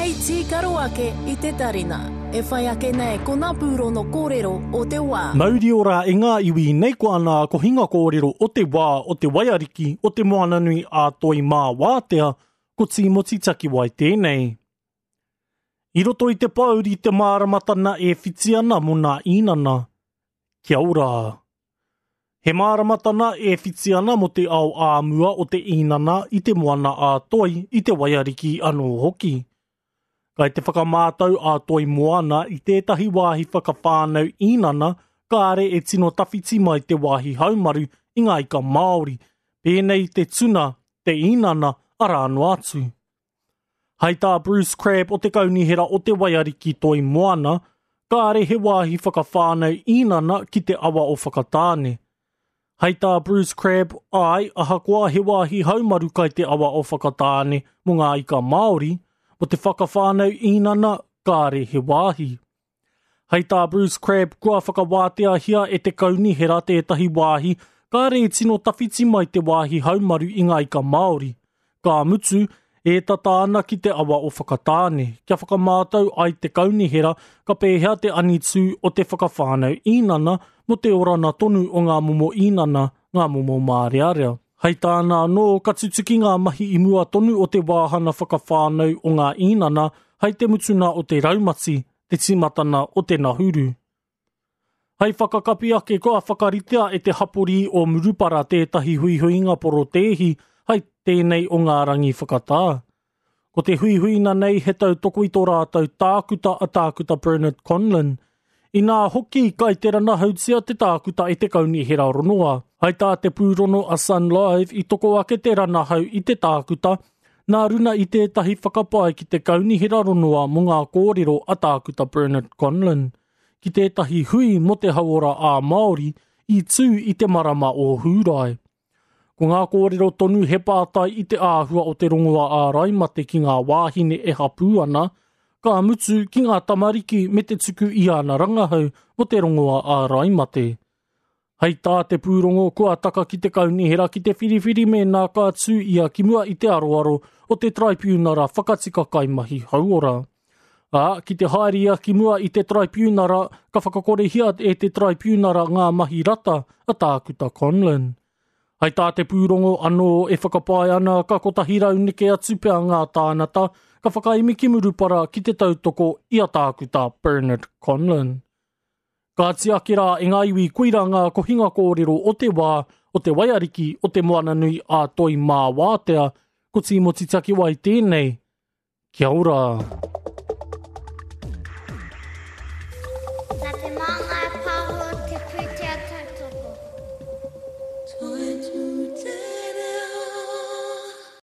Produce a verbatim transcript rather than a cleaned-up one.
Hei tīkaro ake i te tarina. E whai ake nei ko ngā pūrono kōrero o te wā. Mauri ora e ngā iwi nei ko ana ko hinga kōrero o te wā o te waiariki o te Moananui a Toi Mā Wātea ko Tīmoti Takiwai tēnei. I roto i te pōuri te māramatana e whiti ana mō nā īnana. Kia ora! He māramatana e whiti ana mō te ao āmua o te īnana i te moana a Toi i te waiariki anō hoki. Kai te whakamātau a Toi Moana i tētahi wāhi whakawhānau īnana kāre e tino tawhiti mai te wāhi haumaru i ngā ika Māori, pēnei te tuna, te īnana, arā noa atu. Hai tā Bruce Crabb o te kaunihera o te waiariki Toi Moana, kāre he wāhi whakawhānau īnana ki te awa o Whakatāne. Hai tā Bruce Crabb, ai, ahakoa he wāhi haumaru kai te awa o Whakatāne mō ngā ika Māori, mō te whakawhānau īnana, kāre he wāhi. Hai tā Bruce Crabb, kua whakawāteahia e te kaunihera tētahi wāhi, kāre e tino tawhiti mai te wāhi haumaru i ngā ika Māori. Ka mutu, e tata ana ki te awa o Whakatāne, kia whakamātau ai te kaunihera ka pēhea te anitū o te whakawhānau īnana mō te orana tonu o ngā momo īnana, ngā momo mārearea. Hei tāna anō, ka tutuki ngā mahi i mua tonu o te wāhana whakawhānau o ngā īnana hei te mutuna o te raumati, te tīmatana o te nahuru. Hei whakakapi ake kua whakaritea e te hapori o Murupara tētahi huihuinga porotēhi hei tēnei o ngā rangi whakatā. Ko te huihuina nei he tautoko i tō rātou tākuta a tākuta Bernard Conlon. Inā hoki kai te ranahautia te tākuta e te kaunihera ronoa. Hai tā te pūrono a Sun Live i toko ake te ranahau i te tākuta, nā runa i tētahi whakapae ki te kaunihera ronoa mō ngā kōrero a tākuta Bernard Conlon. Ki tētahi hui mō te hauora ā Māori i tū i te marama o Hūrae. Ko ngā kōrero tonu he pātai i te āhua o te rongoa āraimate ki ngā wāhine e hapū ana, ka mutu ki ngā tamariki me te tuku i ana rangahau mō te rongoa āraimate. Hei tā te pūrongo kua taka ki te kaunihera ki te whiriwhiri mēnā ka tū ia ki mua i te aroaro o te traipiunara whakatika kaimahi hauora. Ā, ki te haere ia ki mua i te traipiunara, ka whakakorehia e te traipiunara ngā mahi rata a tākuta Conlon. Hei tā te pūrongo anō e whakapae ana ka kotahi rau neke atu pea ngā tānata ka whakaemi ki Murupara ki te tautoko i a tākuta Bernard Conlon. Ka tiaki rā e ngā iwi koira ngā kohinga kōrero o te wā, o te waiariki, o te Moananui a Toi Mā Wātea, ko Tīmoti Takiwai tēnei. Kia ora! Nā te Māngai Pāho te pūtea tautoko.